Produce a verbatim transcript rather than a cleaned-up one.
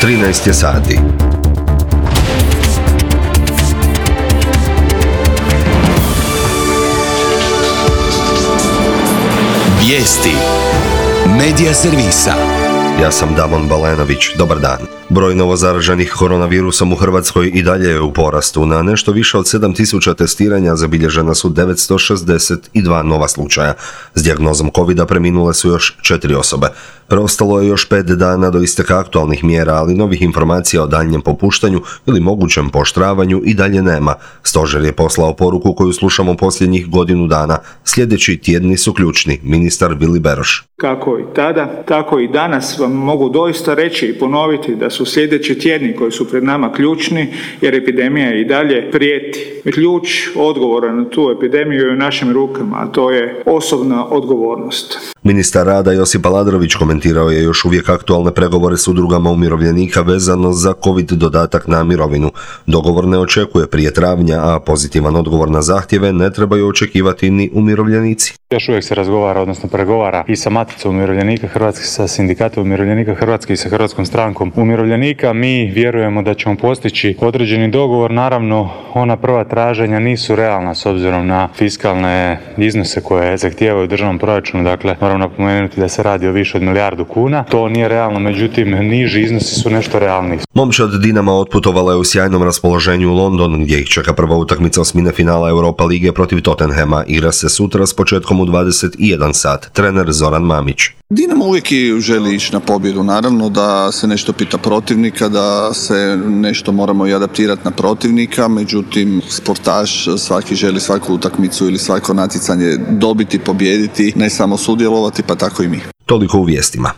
trinaest je sati. Vijesti Medija servisa. Ja sam Damon Balenović, dobar dan. Broj novozaraženih koronavirusom u Hrvatskoj i dalje je u porastu. Na nešto više od sedam tisuća testiranja zabilježena su devetsto šezdeset dva nova slučaja. S dijagnozom covida preminule su još četiri osobe. Preostalo je još pet dana do isteka aktualnih mjera, ali novih informacija o daljnjem popuštanju ili mogućem pooštravanju i dalje nema. Stožer je poslao poruku koju slušamo posljednjih godinu dana. Sljedeći tjedni su ključni, ministar Vili Beroš. Kako i tada, tako i danas vam mogu doista reći i ponoviti da su sljedeći tjedni koji su pred nama ključni, jer epidemija i dalje prijeti. Ključ odgovora na tu epidemiju je u našim rukama, a to je osobna odgovornost. Ministar rada Josip Aladrović komentirao je još uvijek aktualne pregovore s udrugama umirovljenika vezano za COVID dodatak na mirovinu. Dogovor ne očekuje prije travnja, a pozitivan odgovor na zahtjeve ne trebaju očekivati ni umirovljenici. Još uvijek se razgovara, odnosno pregovara i sa Maticom umirovljenika Hrvatske, sa Sindikatom umirovljenika Hrvatske i sa Hrvatskom strankom umirovljenika. Mi vjerujemo da ćemo postići određeni dogovor. Naravno, ona prva traženja nisu realna s obzirom na fiskalne iznose koje zahtijevaju u državnom proračunu. Dakle, moram napomenuti da se radi o više od milijardu kuna. To nije realno, međutim, niži iznosi su nešto realniji. Momčad Dinama otputovala je u sjajnom raspoloženju u London, gdje ih čeka prva utakmica osmine finala Europa lige protiv Tottenhama. Igra se sutra s početkom u dvadeset jedan sat. Trener Zoran Mamić. Dinamo uvijek želi ići na pobjedu, naravno da se nešto pita protivnika, da se nešto moramo i adaptirati na protivnika, međutim sportaš svaki želi svaku utakmicu ili svako natjecanje dobiti, pobijediti, ne samo sudjelovati, pa tako i mi. Toliko u vijestima.